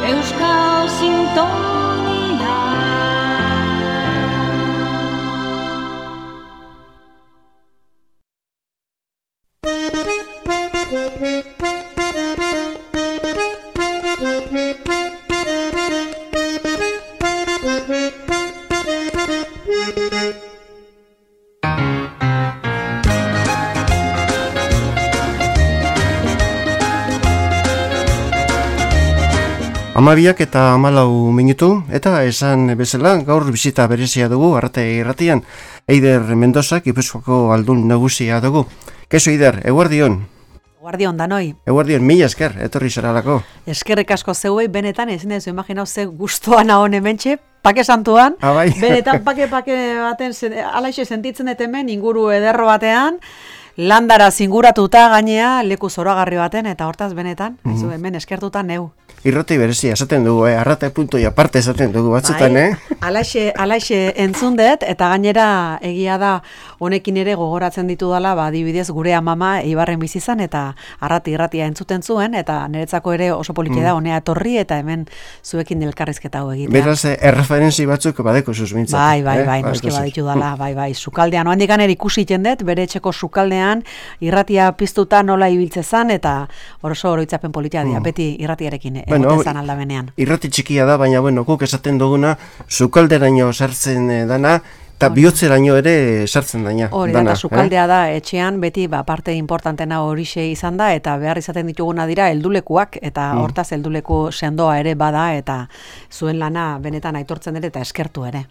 Euskal Sintonia. Amabiak eta 14 minutu, eta esan bezala gaur bisita berezia dugu Arrate Irratian. Eider Mendoza, Gipuzkoako aldun nagusia dugu. Kaixo Eider, eguerdion. Eguerdion danoi. Eguerdion, mila esker, etorri zaralako. Eskerrik asko zeuei, benetan, ezin ez imaginau ze gustoan nagon hementxe, pake santuan, benetan pake baten, alaixe sentitzen dut hemen, inguru ederro batean, landara zinguratuta gainea, leku zoragarri baten, eta hortaz benetan, hemen eskertuta neu. Irrati berezia esaten dugu, Arrate punto y aparte esaten dugu batzutan, Alaxe entzun dut, eta gainera egia da honekin ere gogoratzen ditudala, adibidez gure amama Eibarren bizi izan eta Arrate Irratia entzuten zuen, eta niretzako ere oso politia da honea etorri eta hemen zuekin elkarrizketa hau egitea. Beraz, erreferentzi batzuk badeko susmintzat. Bai, noski baditu dala, bai, sukaldean, oandikan ere ikusi dut, bere etxeko sukaldean irratia piztuta nola ibiltze zan, eta oso oroitzapen politia dia, beti irratiarekin egoten aldabenean. Irrati txikia da, baina guk esaten duguna, sukalderaino sartzen dana, eta bihotzeraino ere sartzen dana. Hori da, sukaldea da, etxean, beti parte importantena horixe izan da, eta behar izaten dituguna dira heldulekuak, eta hortaz helduleku sendoa ere bada, eta zuen lana benetan aitortzen ere, eta eskertu ere.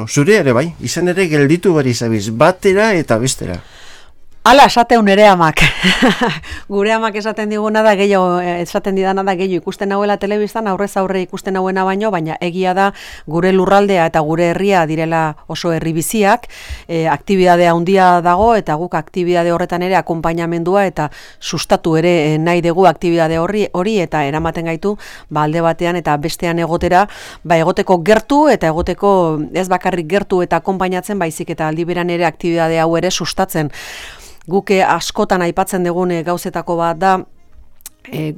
Zure ere bai, izan ere gelditu bari zabiz, batera eta bestera. Hala, esateun ere amak. Gure amak esaten diguna da, esaten didana da, gehiago ikusten nauela telebistan, aurrez aurre ikusten nauena baina egia da gure lurraldea eta gure herria direla oso herri biziak, aktibidadea handia dago, eta guk aktibidade horretan ere akonpainamendua eta sustatu ere nahi dugu aktibidade hori eta eramaten gaitu, alde batean eta bestean egotera, egoteko gertu eta egoteko ez bakarrik gertu eta akonpainatzen, baizik eta aldi beran ere aktibidade hau ere sustatzen. Guke askotan aipatzen dugun gauzetako bat da,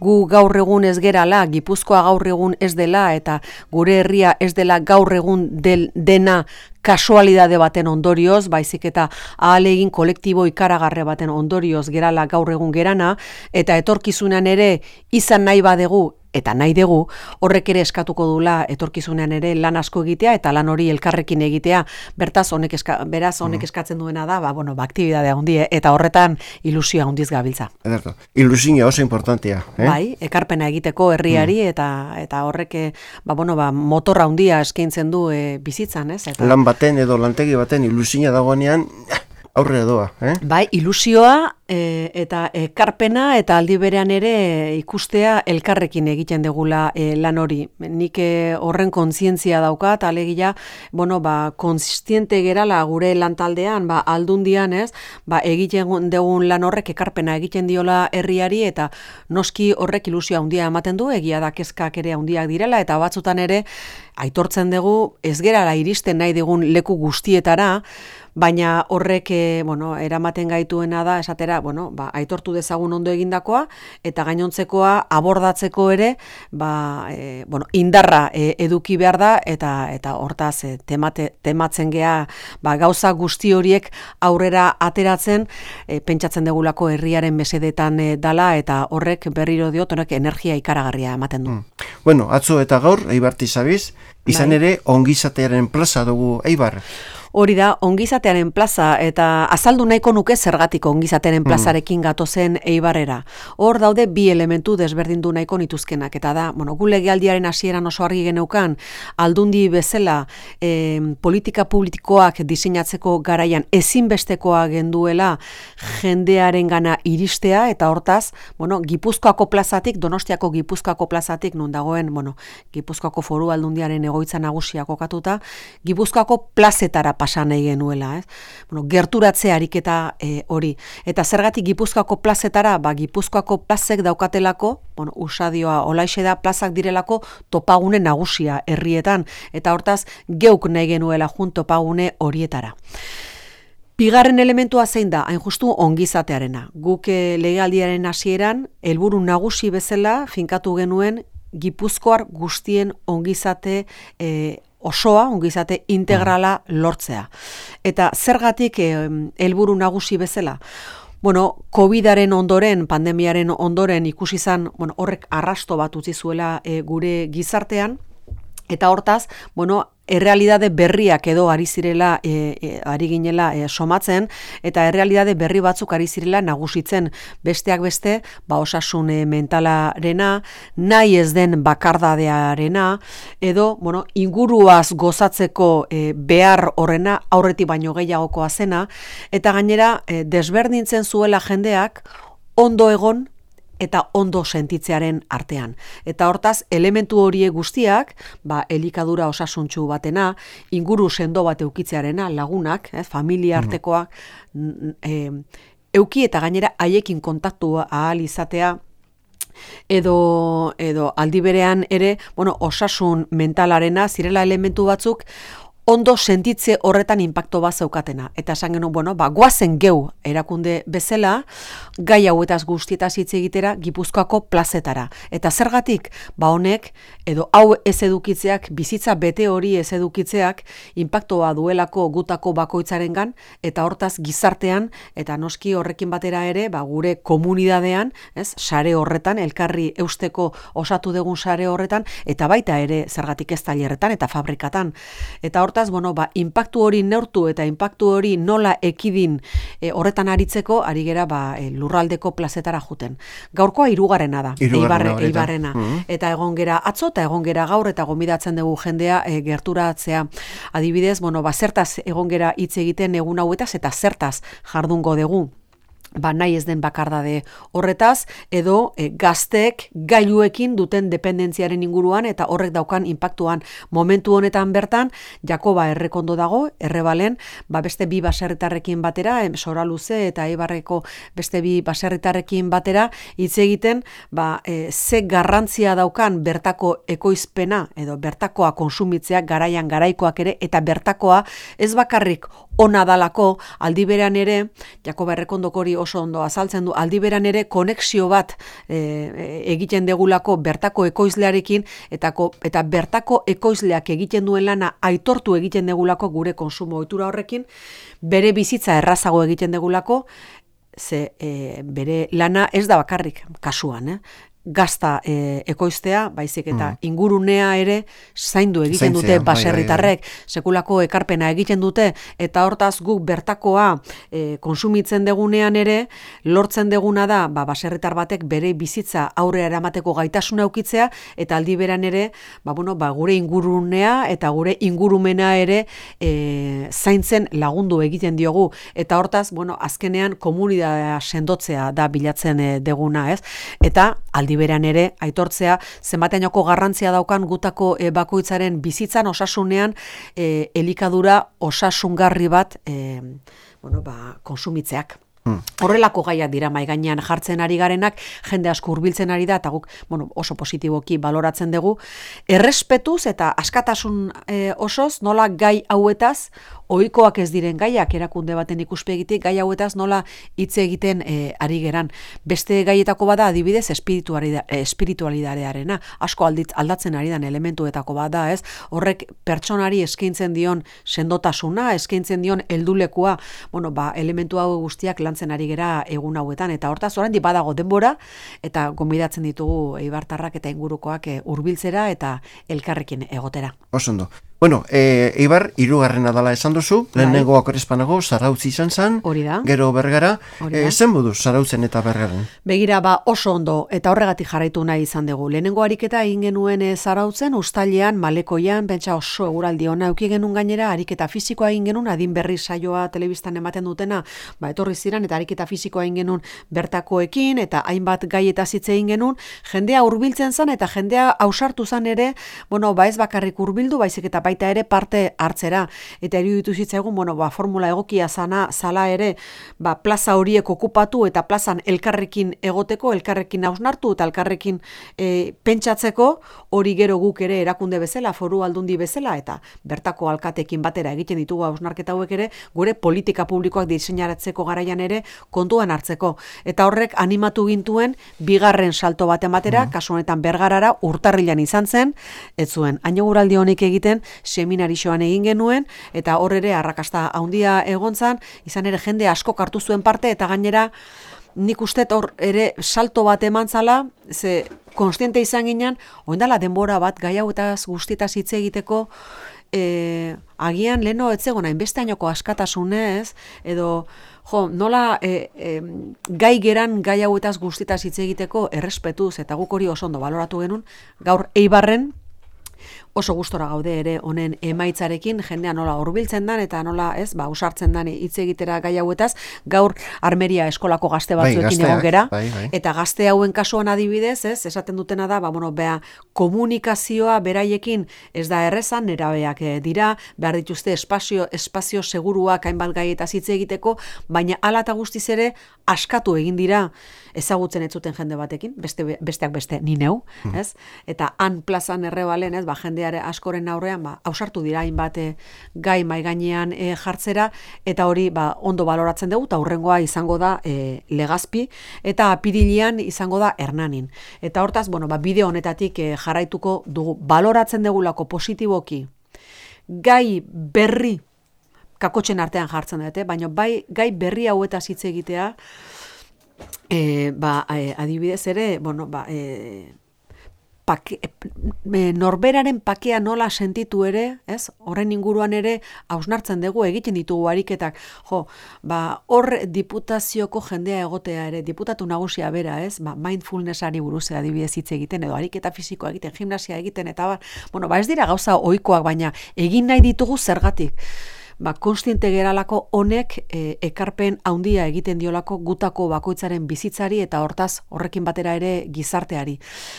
gu gaur egun ez gerala, Gipuzkoa gaur egun ez dela, eta gure herria ez dela gaur egun dena kasualidade baten ondorioz, baizik eta ahalegin kolektibo ikaragarre baten ondorioz gerala gaur egun gerana, eta etorkizunean ere izan nahi badegu, eta nahi dugu, horrek ere eskatuko dula etorkizunean ere lan asko egitea eta lan hori elkarrekin egitea. Beraz honek eskatzen duena da, aktibidadea handia eta horretan ilusioa handiz gabiltza. Ederto. Ilusioa oso importantea, Bai, ekarpena egiteko herriari eta horrek motorra handia eskaintzen du bizitzan, ez? Lan baten edo lantegi baten ilusioa dagoenean aurrera doa, Bai, ilusioa eta ekarpena eta aldi berean ere ikustea elkarrekin egiten degula lan hori. Nik horren kontzientzia daukat, alegia, kontziente gerala gure lantaldean, aldundian ez, egiten dugun lan horrek ekarpena egiten diola herriari eta noski horrek ilusioa handia ematen du, egia da kezkak ere handiak direla eta batzutan ere aitortzen dugu ez gerala iristen nahi dugun leku guztietara, baina horrek eramaten gaituena da esatera, aitortu dezagun ondo egindakoa eta gainontzekoa abordatzeko ere indarra eduki behar da eta hortaz tematzen gea gauza guzti horiek aurrera ateratzen pentsatzen degulako herriaren mesedetan dala eta horrek berriro diot honek energia ikaragarria ematen du. Atzo eta gaur Eibarti zabiz, izan ere ongizatearen plaza dugu Eibar. Hori da, ongizatearen plaza, eta azaldu nahiko nuke zergatik ongizatearen plazarekin gatozen Eibarrera. Hor daude bi elementu desberdindu nahiko nituzkenak, eta da, gu legealdiaren hasieran oso argi geneukan, aldundi bezala politika publikoak diseinatzeko garaian ezinbestekoa genduela jendearen gana iristea, eta hortaz, Gipuzkoako plazatik, Donostiako Gipuzkoako plazatik, non dagoen, Gipuzkoako foru aldundiaren egoitza nagusia kokatuta, Gipuzkoako plazetara pasa nahi genuela, ez? Gerturatze ariketa hori. Eta zergatik Gipuzkoako plazetara, Gipuzkoako plazek daukatelako, usadioa olaixe da, plazak direlako topagune nagusia herrietan, eta hortaz geuk nahi genuela jun topagune horietara. Bigarren elementua zein da, hain justu ongizatearena. Guk legealdiaren hasieran helburu nagusi bezala finkatu genuen Gipuzkoar guztien ongizate osoa, ongizate integrala lortzea. Eta zergatik helburu nagusi bezala? Bueno, COVID-aren ondoren, pandemiaren ondoren ikusi izan, horrek arrasto bat utzi zuela gure gizartean, eta hortaz, errealitate berriak edo ari zirela, ari ginela somatzen, eta errealitate berri batzuk ari zirela nagusitzen, besteak beste, osasun mentalarena, nahi ez den bakardadearena, edo, inguruaz gozatzeko behar horrena, aurretik baino gehiagokoa zena, eta gainera, desberdintzen zuela jendeak, ondo egon, eta ondo sentitzearen artean. Eta hortaz, elementu horie guztiak, elikadura osasuntsu batena, inguru sendo bat eukitzearena, lagunak, familia artekoak, euki eta gainera haiekin kontaktu ahal izatea, edo aldi berean ere, osasun mentalarena, zirela elementu batzuk, ondo sentitze horretan inpakto bat zeukatena. Eta esan genuen, goazen geu erakunde bezala, gai hauetaz guztietaz hitz egitera Gipuzkoako plazetara. Eta zergatik, honek, edo hau ez edukitzeak, bizitza bete hori ez edukitzeak, inpaktoa duelako gutako bakoitzarengan, eta hortaz gizartean, eta noski horrekin batera ere, gure komunidadean, sare horretan, elkarri eusteko osatu dugun sare horretan, eta baita ere zergatik ez tailerretan eta fabrikatan. Eta hortaz, inpaktu hori neurtu eta inpaktu hori nola ekidin horretan aritzeko, ari gera lurraldeko plazetara juten. Gaurkoa 3. da, Eibarrena. Eta egon gera atzo eta egon gera gaur eta gonbidatzen dugu jendea gerturatzea. Adibidez, zertaz egon gera hitz egiten egun hauetaz eta zertaz jardungo dugu. Nahi ez den bakardade horretaz, edo gazteek gailuekin duten dependentziaren inguruan eta horrek daukan inpaktuan. Momentu honetan bertan, Jakoba Errekondo dago, Errebalen, beste 2 baserritarrekin batera, Soraluze eta Eibarreko beste 2 baserritarrekin batera, hitz egiten, ze garrantzia daukan bertako ekoizpena, edo bertakoa konsumitzeak garaian garaikoak ere, eta bertakoa ez bakarrik ona dalako, aldi berean ere, Jakoba Errekondok hori oso ondo azaltzen du, aldi beran ere konexio bat egiten degulako bertako ekoizlearekin, eta bertako ekoizleak egiten duen lana aitortu egiten degulako gure konsumo ohitura horrekin, bere bizitza errazago egiten degulako, ze bere lana ez da bakarrik kasuan, gazta ekoiztea, baizik eta ingurunea ere zaindu egiten dute baserritarrek, sekulako ekarpena egiten dute, eta hortaz guk bertakoa konsumitzen degunean ere, lortzen deguna da, baserritar batek bere bizitza aurrera eramateko gaitasuna eukitzea, eta aldi beran ere, gure ingurunea eta gure ingurumena ere zaintzen lagundu egiten diogu, eta hortaz, azkenean komunitatea sendotzea da bilatzen deguna, ez? Eta aldi beran ere aitortzea zenbateanoko garrantzia daukan gutako bakoitzaren bizitzan osasunean elikadura osasungarri bat konsumitzeak. Horrelako gaiak dira mahai gainean jartzen ari garenak, jende asko hurbiltzen ari da, eta guk oso positiboki baloratzen dugu. Errespetuz eta askatasun osoz, nola gai hauetaz, ohikoak ez diren gaiak erakunde baten ikuspegitik, gai hauetaz nola hitz egiten ari geran. Beste gaietako bada adibidez espiritualidadearena, asko aldatzen ari den elementuetako bada, ez? Horrek pertsonari eskaintzen dion sendotasuna, eskaintzen dion heldulekua, elementu hau guztiak lantzen ari gera egun hauetan, eta hortaz oraindik badago denbora, eta gonbidatzen ditugu eibartarrak eta ingurukoak hurbiltzera eta elkarrekin egotera. Osondo. Bueno, Eibar, 3. dala esan duzu, lehenengo Akorespanago, Zarautz izan zen, gero Bergara, zen moduz Zarautzen eta Bergaran? Begira, oso ondo, eta horregatik jarraitu nahi izan dugu. Lehenengo ariketa egin genuen Zarautzen, Uztailean, Malekoian, pentsa oso eguraldi ona euki genuen gainera, ariketa fisikoa egin genuen, adin berri saioa telebistan ematen dutena, etorri ziren, eta ariketa fisikoa egin genuen bertakoekin, eta hainbat gaietaz hitz egin genuen, jendea hurbiltzen zen, eta jendea ausartu zen ere, ez bakarrik hurbildu, baizik eta baita ere parte hartzera. Eta iruditu zitzaigun, formula egokia zala ere, plaza horiek okupatu eta plazan elkarrekin egoteko, elkarrekin hausnartu eta elkarrekin pentsatzeko, hori gero guk ere erakunde bezala, foru aldundi bezala, eta bertako alkatekin batera egiten ditugu hausnarketa hauek ere, gure politika publikoak diseinaratzeko garaian ere kontuan hartzeko. Eta horrek animatu gintuen bigarren salto bat ematera, kasu honetan Bergarara, urtarrilan izan zen, ez zuen aineguraldi honek egiten seminarixoan egin genuen, eta hor ere arrakasta handia egon zen, izan ere jende asko hartu zuen parte, eta gainera nik uste hor ere salto bat eman zala, ze konstiente izan ginen, oindala denbora bat gai hauetaz guztietaz hitz egiteko, agian leheno ez zegoen hainbeste ainoko askatasunez, edo nola gai geran gai hauetaz guztietaz hitz egiteko errespetuz, eta guk hori oso ondo baloratu genuen, gaur Eibarren oso gustora gaude ere honen emaitzarekin, jendea nola hurbiltzen dan eta nola usartzen dan hitz egitera gai hauetaz, gaur Armeria eskolako gazte batzuekin egon gera, eta gazte hauen kasuan adibidez, esaten dutena da, komunikazioa beraiekin ez da errezan, nerabeak dira, behar dituzte espazio seguruak hainbat gaietaz hitz egiteko, baina hala eta guztiz ere askatu egin dira ezagutzen ez zuten jende batekin, besteak beste ni neu, ez? Eta han plazan Errebalen, jendeare askoren aurrean, ausartu dira hainbat gai mai gainean jartzera, eta hori ondo baloratzen dugu, eta hurrengoa izango da Legazpi, eta apirilean izango da Hernanin. Eta hortaz, bideo honetatik jarraituko dugu, baloratzen dugulako positiboki, gai berri kakotxen artean jartzen dute, baina gai berri hauetaz hitz egitea, adibidez ere, norberaren pakea nola sentitu ere, horren inguruan ere hausnartzen dugu, egiten ditugu ariketak, hor diputazioko jendea egotea ere, diputatu nagusia bera, mindfulnessari buruz adibidez hitz egiten, edo ariketa fisikoa egiten, gimnasia egiten, eta ez dira gauza ohikoak, baina egin nahi ditugu zergatik. Konstiente geralako honek ekarpen handia egiten diolako gutako bakoitzaren bizitzari eta horrekin batera ere gizarteari.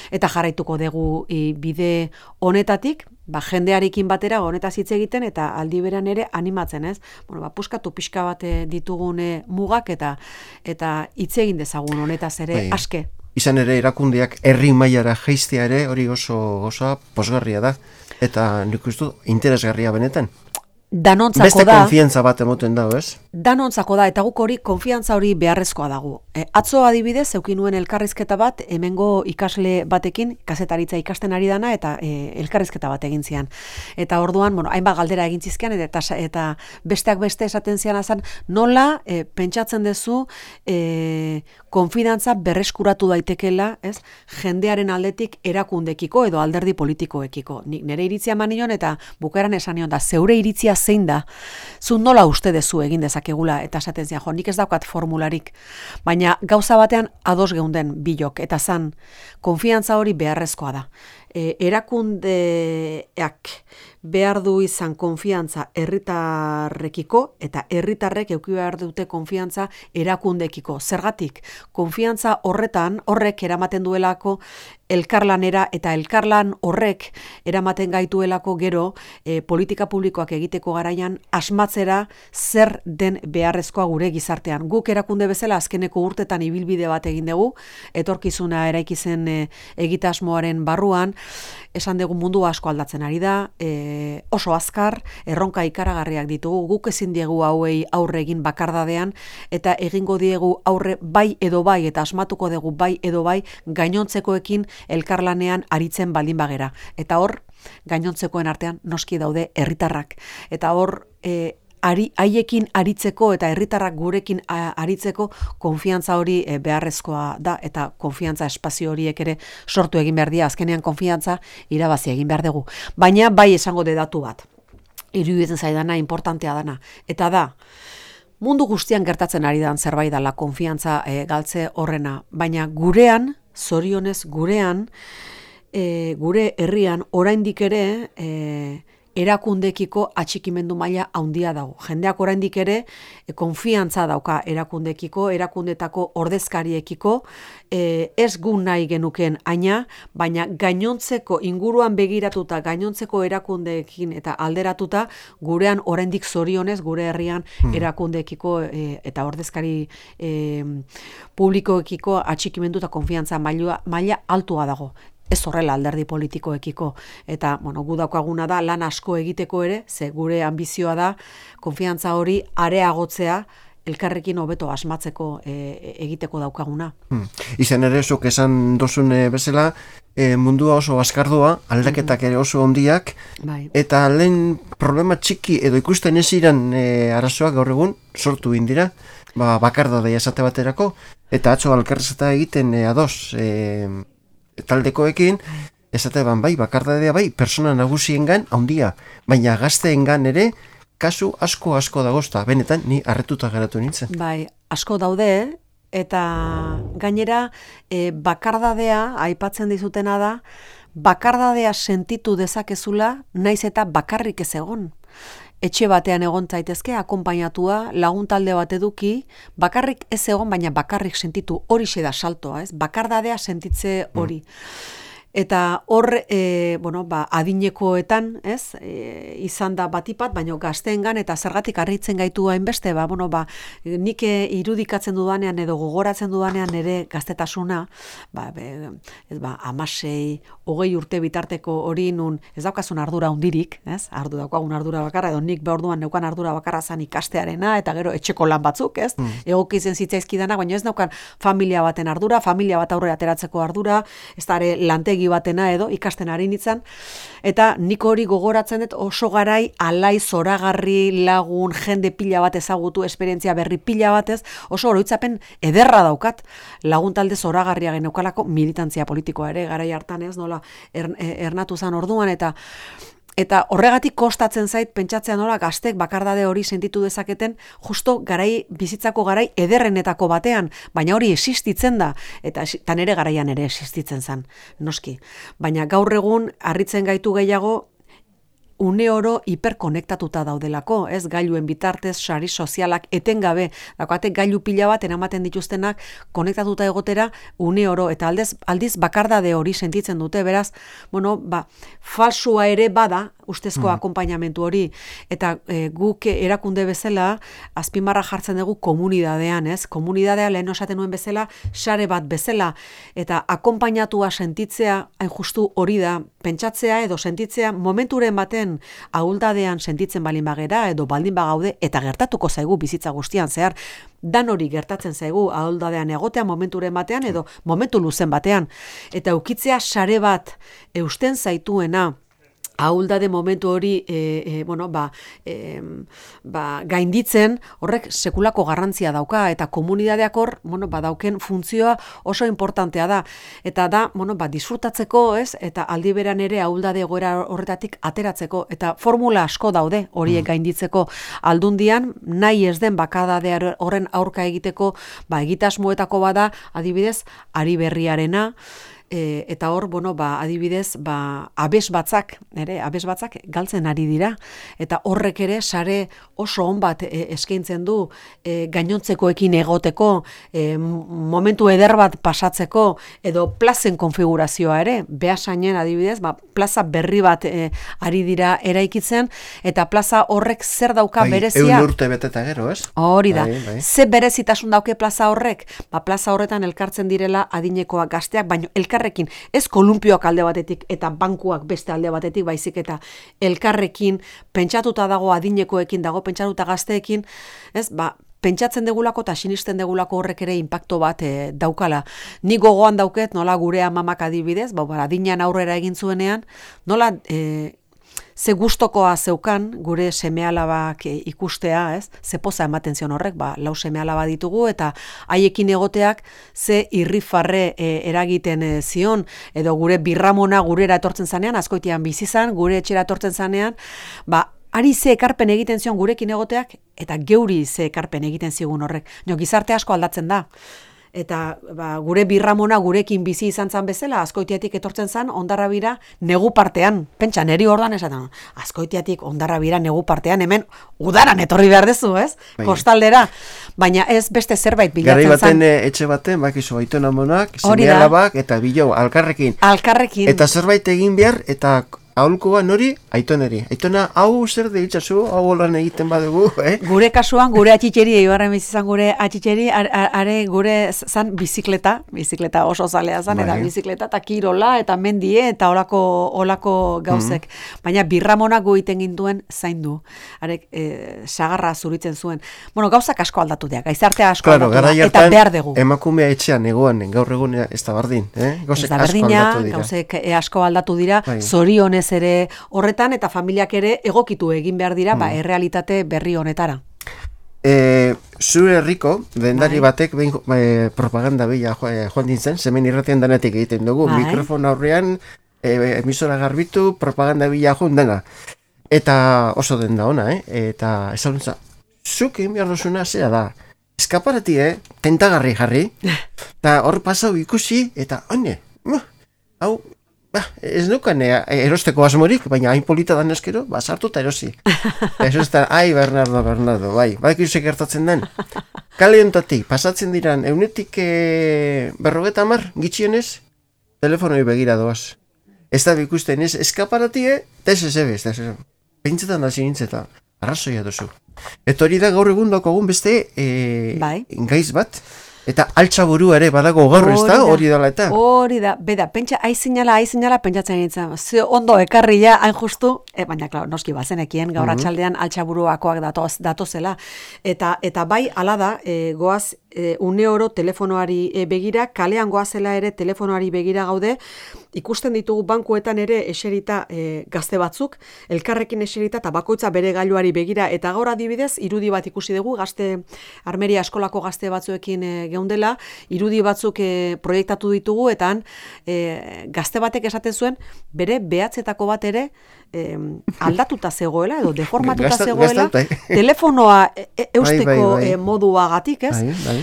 Eta jarraituko dugu bide honetatik, jendearekin batera honetaz hitz egiten eta aldi beran ere animatzen, ez? Puskatu pixka bat ditugun mugak eta hitz egin dezagun honetaz ere aske. Izan ere erakundeak herri mailara jaistea ere hori oso posgarria da eta nik uste interesgarria benetan. Danontzako beste da. konfiantza bat emoten dago, ez? Danontzako da, eta guk hori konfiantza hori beharrezkoa dago. Atzo adibidez, eukin nuen elkarrizketa bat, hemengo ikasle batekin, kazetaritza ikasten ari dana, eta elkarrizketa bat egin zian. Eta orduan, hainbat galdera egin zizkian, eta besteak beste esaten zian azan, nola pentsatzen duzu konfidantza berreskuratu daitekela, ez? Jendearen aldetik erakundekiko edo alderdi politikoekiko. Nire iritzia manion eta bukaeran esan nion da, zeure iritzia zein da, zu nola uste dezu egin dezakegula, eta esaten zian, nik ez daukat formularik, baina gauza batean ados geunden bilok, eta zan, konfiantza hori beharrezkoa da. Erakundeak behar du izan konfiantza herritarrekiko, eta herritarrek eduki behar dute konfiantza erakundekiko. Zergatik, konfiantza horrek eramaten duelako elkarlanera, eta elkarlan horrek eramaten gaituelako gero politika publikoak egiteko garaian asmatzera zer den beharrezkoa gure gizartean. Guk erakunde bezala azkeneko urtetan ibilbide bat egin dugu, etorkizuna eraiki zen egitasmoaren barruan, esan dugu mundu asko aldatzen ari da, oso azkar, erronka ikaragarriak ditugu, guk ezin diegu hauei aurre egin bakardadean, eta egingo diegu aurre bai edo bai, eta asmatuko dugu bai edo bai, gainontzekoekin elkarlanean aritzen baldin bagera. Eta hor, gainontzekoen artean noski daude herritarrak. Eta hor, haiekin aritzeko eta herritarrak gurekin aritzeko konfiantza hori beharrezkoa da, eta konfiantza espazio horiek ere sortu egin behar dira, azkenean konfiantza irabazi egin behar dugu. Baina bai esango de datu bat, iruditzen zaidana, importantea dana, eta da, mundu guztian gertatzen ari dan zerbait dela konfiantza galtze horrena, baina gurean, zorionez gurean, gure herrian oraindik ere erakundekiko atxikimendu maila handia dago. Jendeak oraindik ere konfiantza dauka erakundekiko, erakundetako ordezkariekiko, ez gu nahi genuken aina, baina gainontzeko inguruan begiratuta, gainontzeko erakundeekin eta alderatuta, gurean oraindik zorionez, gure herrian erakundeekiko eta ordezkari publikoekiko atxikimendu eta konfiantza maila altua dago. Ez horrela alderdi politikoekiko. Eta, gu daukaguna da, lan asko egiteko ere, ze gure ambizioa da, konfiantza hori areagotzea, elkarrekin hobeto asmatzeko egiteko daukaguna. Izan ere, zuk esan dozun bezala, mundua oso azkardua, aldaketak ere oso ondiak, eta lehen problema txiki edo ikusten ez iran arazoak gaur egun sortu indira, bakardadea esate baterako, eta atzo alkarrezeta egiten ados taldekoekin, esate bakardadea persona nagusiengan handia, baina gazteengan ere, kasu asko dagozta, benetan ni harretuta geratu nintzen. Asko daude, eta gainera bakardadea, aipatzen dizutena da, bakardadea sentitu dezakezula, naiz eta bakarrik ez egon. Etxe batean egon zaitezke, akonpainatua, lagun talde bat eduki, bakarrik ez egon, baina bakarrik sentitu, horixe da saltoa, ez? Bakardadea sentitze hori. Eta hor, adinekoetan, ez, izan da batipat, baina gazteengan eta zergatik harritzen gaitu hainbeste, nik irudikatzen dudanean edo gogoratzen dudanean ere gaztetasuna, 16, 20 urte bitarteko hori nun, ez daukazun ardura hundirik, ez, daukagun ardura bakarra, edo nik behorduan neukan ardura bakarra zan ikastearena, eta gero etxeko lan batzuk, ez, egoki izen zitzaizkidana, baina ez daukan familia baten ardura, familia bat aurre ateratzeko ardura, ez da ere lantegi batena edo ikasten ari nintzen, eta nik hori gogoratzen dut oso garai alai zoragarri lagun jende pila bat ezagutu, esperientzia berri pila batez, oso oroitzapen ederra daukat, lagun talde zoragarria geneukalako militantzia politikoa ere, garai hartan ez, nola ernatu zan orduan, eta horregatik kostatzen zait pentsatzea nola gaztek bakardade hori sentitu dezaketen justo bizitzako garai ederrenetako batean, baina hori existitzen da, eta nere garaian ere existitzen zen, noski. Baina gaur egun harritzen gaitu gehiago une oro hiperkonektatuta daudelako, ez, gailuen bitartez, sari sozialak etengabe, daukate gailu pila bat eramaten dituztenak konektatuta egotera une oro, eta aldiz bakardade hori sentitzen dute, beraz, falsua ere bada, ustezko akonpainamentu hori, eta guk erakunde bezala, azpimarra jartzen dugu komunidadean, ez, komunidadea lehen osaten nuen bezala, sare bat bezala, eta akonpainatua sentitzea, hain justu hori da, pentsatzea edo sentitzea momenturen baten ahuldadean sentitzen balin bagera edo baldin bagaude eta gertatuko zaigu bizitza guztian zehar, dan hori gertatzen zaigu ahuldadean egotea momenturen batean edo momentu luzen batean, eta ukitzea sare bat eusten zaituena ahuldade momentu hori gainditzen, horrek sekulako garrantzia dauka, eta komunidadeak hor dauken funtzioa oso importantea da, eta da disfrutatzeko, ez, eta aldi beran ere ahuldade egoera horretatik ateratzeko, eta formula asko daude horiek gainditzeko aldundian, nahi ez den bakardade horren aurka egiteko egitasmoetako bada, adibidez, Ari Berriarena, eta hor, adibidez, abes batzak galtzen ari dira, eta horrek ere sare oso on bat eskaintzen du gainontzekoekin egoteko, momentu eder bat pasatzeko, edo plazen konfigurazioa ere, Beasainen adibidez, plaza berri bat ari dira eraikitzen, eta plaza horrek zer dauka berezia. 100 urte beteta gero, ez? Hori da. Ze berezitasun dauke plaza horrek? Plaza horretan elkartzen direla adinekoak gazteak, baino elkarrekin, ez kolumpioak alde batetik eta bankuak beste alde batetik, baizik eta elkarrekin pentsatuta dago adinekoekin, dago pentsatuta gazteekin, ez, pentsatzen degulako eta sinisten degulako horrek ere inpakto bat daukala. Ni gogoan dauket, nola gure amamak adibidez, adinean aurrera egin zuenean, nola ze gustokoa zeukan gure seme-alabak ikustea, ez? Ze poza ematen zion horrek, 4 seme-alaba ditugu, eta haiekin egoteak ze irrifarre eragiten zion, edo gure birramona gurera etortzen zanean, askoitian bizizan, gure etxera etortzen zanean, ari ze ekarpen egiten zion gurekin egoteak, eta geuri ze ekarpen egiten zigun horrek. Gizarte asko aldatzen da. Eta gure birramona gurekin bizi izan zan bezala, Azkoitiatik etortzen zan, Hondarrabira negu partean. Pentsa, neri ordan esaten, Azkoitiatik Hondarrabira negu partean, hemen udaran etorri behar dezu, ez? Kostaldera. Baina ez beste zerbait bilatzen zan. Garai baten etxe baten, bakizu, aitona monak, seme-alabak eta bilo, alkarrekin. Eta zerbait egin behar, eta aholkoa nori, aitoneri. Aitona, hau zer deitzazu, hau holan egiten badugu, Gure kasuan, gure atxitxeri, eibarren bizizan gure atxitxeri, are gure zan bizikleta oso zalea zan, eta bizikleta, eta kirola, eta mendie, eta olako gauzek. Baina birramonak goiten gintuen zaindu. Arek, sagarra zuritzen zuen. Bueno, gauzak asko aldatu dira, gaizartea asko aldatu da, eta behar dugu. Emakumea etxean egoan, gaur egun ez da bardin, gauzek asko aldatu dira. Gauzek asko aldatu dira, zorionez ere horretan, eta familiak ere egokitu egin behar dira, errealitate berri honetara. Zure herriko, dendari batek propaganda bila joan dintzen, zemen irratian denetik egiten dugu, mikrofon aurrean, emisora garbitu, propaganda bila joan dena. Eta oso denda ona, eta ezaguntza, zuk egin behar duzuna zera da, eskaparati, tentagarri jarri, eta hor pasau ikusi, eta hau, ez nukan erosteko asmorik, baina hain polita dan eskero, sartu eta erosi. Eso ez da, Bernardo, bai ikusek gertatzen den. Kale ontatik, pasatzen diran, eunetik 50 gitxienez, telefonoi begira doaz. Ez da ikusten ez eskaparatie, eta ez ebez, pentsetan hasi nintzeta, arrazoia duzu. Eta hori da gaur egun dakogun beste gaiz bat, eta altxaburu ere badago gaur ez da, hori dela eta. Hori da, beda, pentsa, aizinala, pentsatzen nintzen, ondo ekarria, hain justu, baina, klar, noski bazenekien, gaur atxaldean altxaburuakoak datozela. Eta bai, ala da, goaz, une oro telefonoari begira, kalean goazela ere telefonoari begira gaude, ikusten ditugu bankuetan ere eserita gazte batzuk, elkarrekin eserita eta bakoitza bere gailuari begira, eta gaur adibidez, irudi bat ikusi dugu, Armeria eskolako gazte batzuekin geundela, irudi batzuk proiektatu ditugu, eta gazte batek esaten zuen, bere behatzetako bat ere aldatuta zegoela, edo deformatuta zegoela, telefonoa eusteko moduagatik, ez?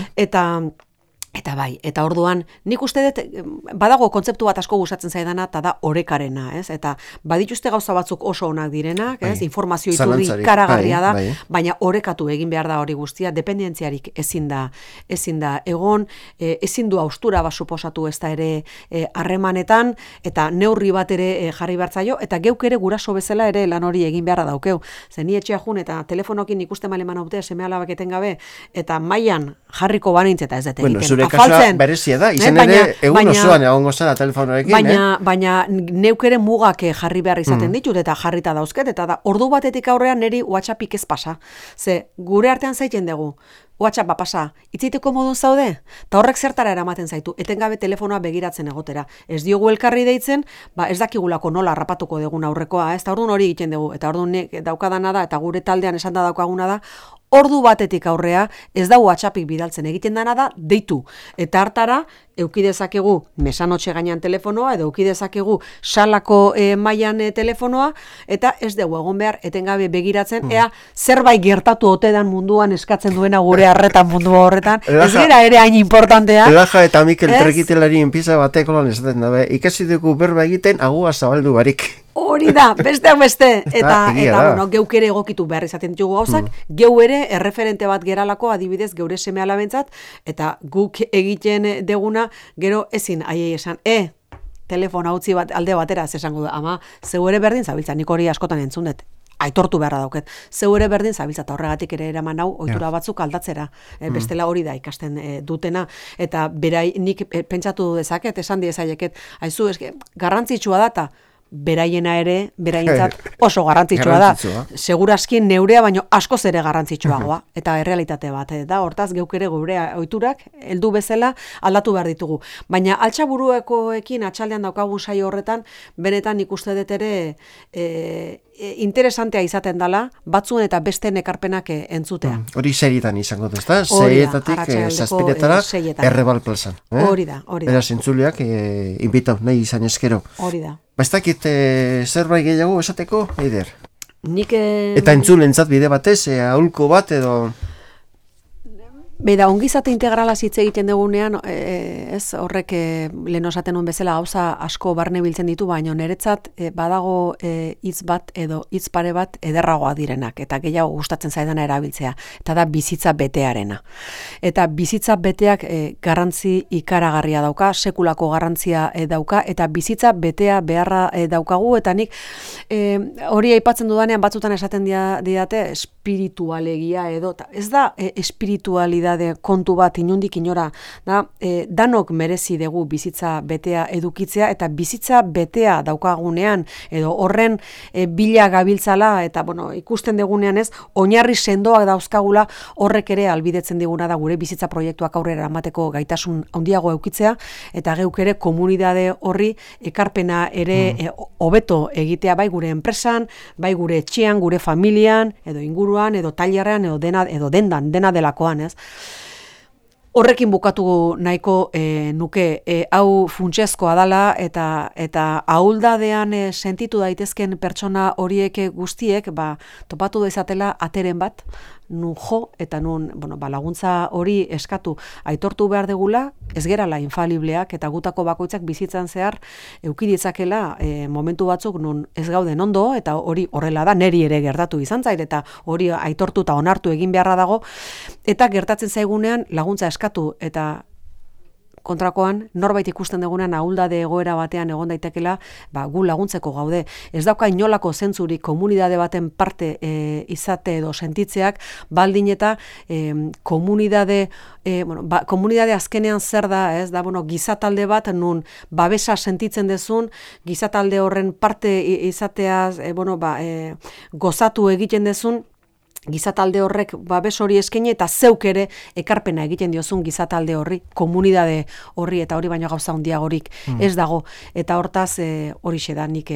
Eta bai, eta orduan, nik uste dut, badago kontzeptu bat asko gustatzen zaidana, eta da orekarena, ez? Eta badituzte gauza batzuk oso onak direnak, ez? Informazio iturri karagarria da, baina orekatu egin behar da hori guztia, dependentziarik ezin da egon, ezin du haustura bat suposatu ez da ere harremanetan, eta neurri bat ere jarri bertzaio, eta geuk ere guraso bezala ere lan hori egin beharra daukeu. Zer ni etxea jun, eta telefonokin ikusten maleman haute, seme-alabak etengabe, eta mailan jarriko banintz eta ez dut egiten. Kasua berezia da, izan ere egun osoan egongo zara telefonorekin. Baina neuk ere mugak jarri behar izaten ditut, eta jarrita dauzket, eta da, ordu batetik aurrean niri WhatsAppik ez pasa. Ze, gure artean zaiten dugu, WhatsAppa pasa, itziteko modun zaude, eta horrek zertara eramaten zaitu, etengabe telefonoa begiratzen egotera. Ez diogu elkarri deitzen, ez dakigulako nola harrapatuko dugun aurrekoa, ez da orduan hori egiten dugu, eta orduan daukadana da, eta gure taldean esan da daukaguna da, ordu batetik aurrea ez da WhatsAppik bidaltzen, egiten dana da deitu. Eta hartara, eukidezakegu mesanotxe gainean telefonoa, edo eukidezakegu salako mailan telefonoa, eta ez dugu egon behar etengabe begiratzen, ea zerbait gertatu otedan munduan eskatzen duena gure harretan mundu horretan, ez gara ere hain importantea. Elaja eta Mikel Trekitelari enpiza batek olan esaten dabe, ikasi dugu berba egiten agua zabaldu barik. Hori da, besteak beste, eta bueno, geuk ere egokitu behar izaten ditugu gauzak, geu ere erreferente bat geralako adibidez geure seme-alabentzat, eta guk egiten deguna, gero ezin aiei esan, telefona utzi bat alde batera, esango da, ama, zeu ere berdin zabiltza, nik hori askotan entzun dut, aitortu beharra dauket, zeu ere berdin zabiltza, eta horregatik ere eraman hau, ohitura batzuk aldatzera, bestela hori da ikasten dutena, eta berai nik pentsatu dezaket, esan diezaieket, haizu, garrantzitsua data, beraiena ere, beraientzat oso garrantzitsua da. Segurazki neurea baino askoz ere garrantzitsuagoa, eta errealitate bat da, hortaz geuk ere gure ohiturak heldu bezala aldatu behar ditugu. Baina altxaburuekoekin atxaldean daukagun saio horretan, benetan ikuste dut ere interesantea izaten dela, batzuen eta besteen ekarpenak entzutea. Hori serietan izango da, ezta? Seietatik zazpiretara Errebal plazan. Hori da. Beraz, entzuleak inbitau, nahi izan eskero. Hori da. Bastakit zerbait gehiago esateko, Eider? Nik... Eta entzulentzat bide batez, aholko bat edo... Beida, ongizate integrala hitz egiten dugunean, ez horrek lehen osaten nuen bezala gauza asko barne biltzen ditu, baina niretzat badago hitz bat edo hitz pare bat ederragoa direnak, eta gehiago gustatzen zaidana erabiltzea, eta da bizitza betearena. Eta bizitza beteak garrantzi ikaragarria dauka, sekulako garrantzia dauka, eta bizitza betea beharra daukagu, eta nik hori aipatzen dudanean batzutan esaten didate espiritualegia edo, ez da espiritualidade kontu bat inundik inora, da, danok merezi dugu bizitza betea edukitzea, eta bizitza betea daukagunean, edo horren bila gabiltzala, eta bueno, ikusten dugunean ez, oinarri sendoak dauzkagula, horrek ere albidetzen diguna da gure bizitza proiektuak aurrera eramateko gaitasun handiago eukitzea, eta geuk ere komunitate horri ekarpena ere hobeto egitea bai gure enpresan, bai gure etxean, gure familian, edo inguruan, edo tailerrean, edo dendan, dena delakoan, ez? Horrekin bukatu nahiko nuke, hau funtsezkoa dala eta ahuldadean sentitu daitezken pertsona horiek guztiek topatu dezatela ateren bat, nun jo eta nun laguntza hori eskatu aitortu behar degula, ez gerala infalibleak eta gutako bakoitzak bizitzan zehar euki ditzakela momentu batzuk nun ez gauden ondo, eta hori horrela da, neri ere gertatu izan zait, eta hori aitortu eta onartu egin beharra dago, eta gertatzen zaigunean laguntza eskatu, eta kontrakoan, norbait ikusten dugunean ahuldade egoera batean egon daitekela, gu laguntzeko gaude. Ez dauka inolako zentzurik komunitate baten parte izate edo sentitzeak, baldin eta komunitate azkenean zer da, ez da, gizatalde bat, nun babesa sentitzen dezun, gizatalde horren parte izateaz, gozatu egiten dezun, gizatalde horrek babes hori eskaini eta zeuk ere ekarpena egiten diozun gizatalde horri, komunitate horri, eta hori baino gauza handiagorik ez dago, eta hortaz horixe da nik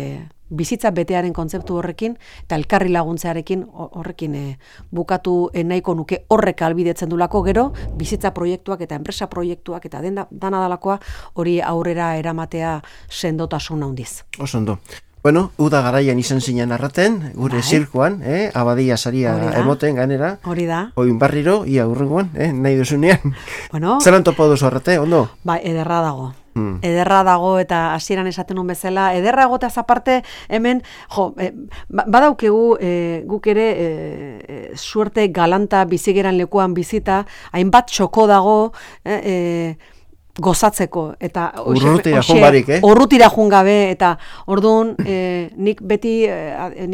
bizitza betearen kontzeptu horrekin eta elkarri laguntzearekin horrekin bukatu nahiko nuke, horrek albidetzen dulako gero bizitza proiektuak eta enpresa proiektuak eta dana dalakoa hori aurrera eramatea sendotasun handiz. Oso ondo. Bueno, uda garaian izan zinen arraten, gure zirkuan, abadia saria emoten ganera. Hori da. Oin barriro, ia urrengoan, nahi duzunean. Bueno. Zelan topo duzu arrate, ondo? Ederra dago. Ederra dago, eta hasieran esaten nun bezala, ederra egotaz aparte, hemen, badaukegu guk ere suerte galanta bizigeran lekuan bizita, hainbat txoko dago, gozatzeko, eta urrutira jun gabe, eta orduan nik beti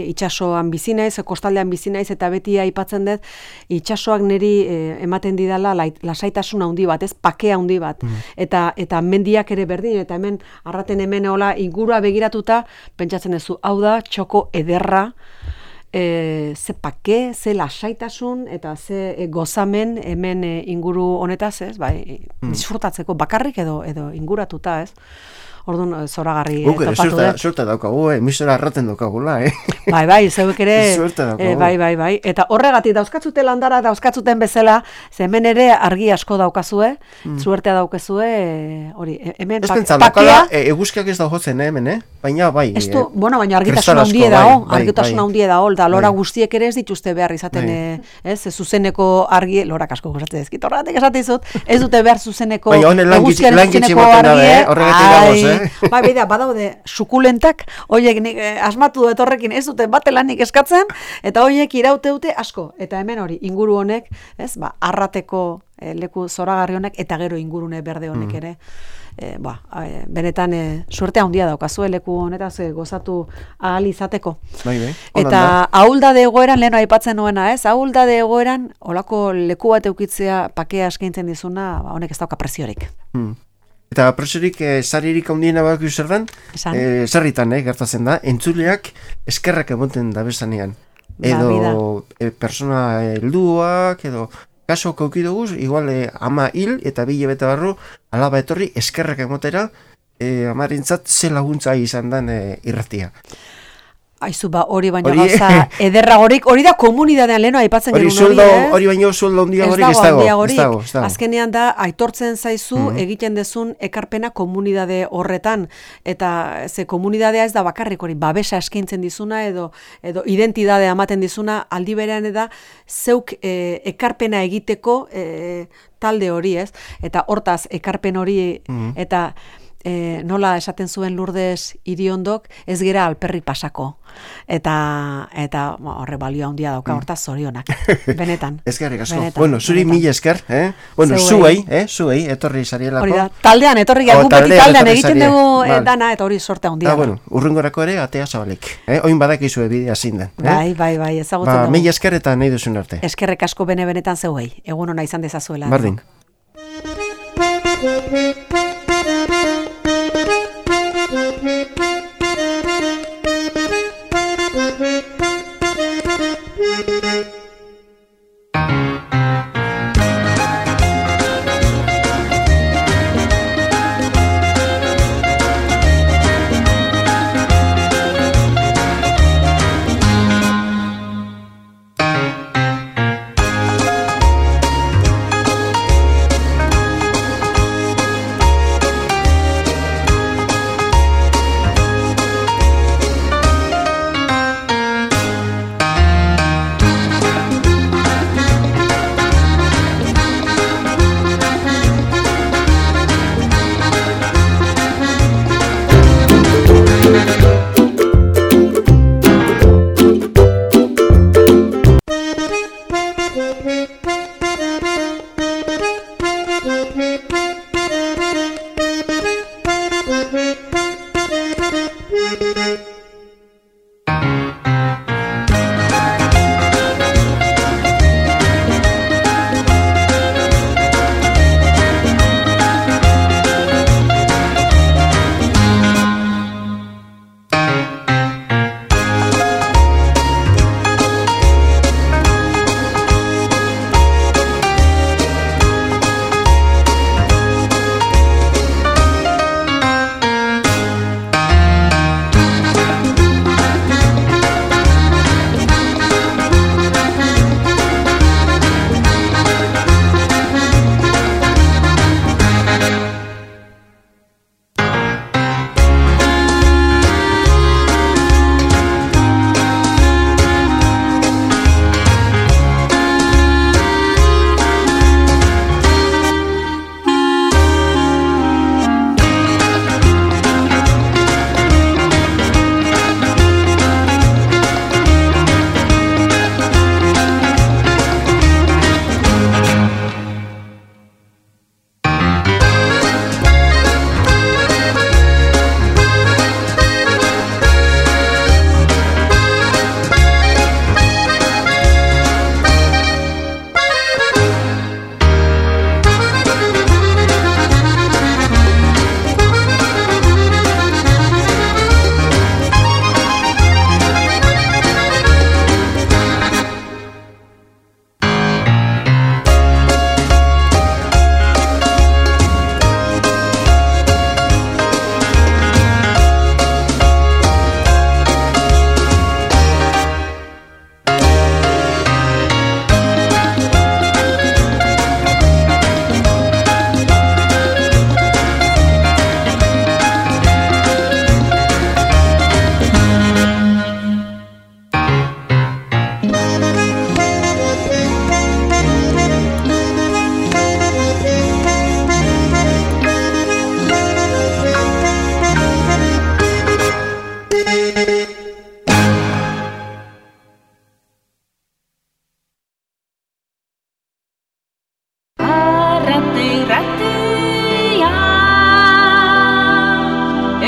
itsasoan bizi naiz, kostaldean bizi naiz, eta beti aipatzen dut itsasoak niri ematen didala lasaitasun handi bat, ez pake handi bat, eta mendiak ere berdin, eta hemen arraten hemen hola ingurua begiratuta pentsatzen duzu, hau da txoko ederra, ze pake, ze lasaitasun eta ze gozamen hemen inguru honetaz, ez? Disfrutatzeko bakarrik edo inguratuta, ez? Orduan zoragarri topatu dut. Suerte daukagu, emisora arraten daukagula, Bai, zeuek ere, suerte daukagu. Bai. Eta horregatik dauzkatzute landara, dauzkatzuten bezala, ze hemen ere argi asko daukazue, suertea daukezue, hori, hemen pakea. Eguzkiak ez daujotzen, hemen, baina bai. Baina argitasun handie dago, argitasun handie dago, da lora guztiek ere ez dituzte behar izaten, ez, zuzeneko argi, lorak asko gozatzen ezkit, horregatik esatizut, ez dute behar zuzeneko eguzkiaren zuzeneko argie, badaude sukulentak, horiek nik asmatu dut horrekin ez dute batelanik eskatzen, eta horiek iraute dute asko, eta hemen hori inguru honek, ez, arrateko leku zoragarri honek, eta gero ingurune berde honek ere, benetan suerte handia daukazue leku honetaz gozatu ahal izateko. Eta ahuldade egoeran, lehen aipatzen nuena, ez, ahuldade egoeran, olako leku bat eukitzea pakea eskaintzen dizuna, honek ez dauka preziorik. Eta presorik, saririk handiena bak zer den, sarritan, gertatzen da, entzuleak eskerrak emoten dabezanean. Edo persona helduak, edo kaso kaukidoguz, igual ama hil eta bile bete barru, alaba etorri eskerrak emotera, amarentzat ze laguntza izan den irratia. Aizu, hori baino gauza ederragorik, hori da komunidadean leheno aipatzen genuen hori, hori baino sueldo handiagorik ez dago. Azkenean da, aitortzen zaizu egiten dezun ekarpena komunidade horretan, eta ze komunidadea ez da bakarrik hori, babesa eskaintzen dizuna, edo identidadea ematen dizuna, aldi berean da, zeuk ekarpena egiteko talde hori, ez? Eta hortaz, ekarpen hori, eta nola esaten zuen Lourdes Iriondok, ez gera alperrik pasako. Eta horre balio handia dauka, hortaz zorionak. Benetan. Eskerrik asko. Bueno, zuri mila esker, Bueno, zuei, etorri sarielako. Hori da, taldean, etorri gara, guk beti taldean egiten dugu dana, eta hori sorte handia. Bueno, urrengorako ere, atea zabalik. Oin badakizue bidea zindan. Bai, ezagutzen dugu. Mila esker eta nahi duzun arte. Eskerrek asko benetan zeuei, egun ona izan dezazuela. Bardin.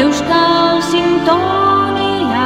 Euskal Sintonia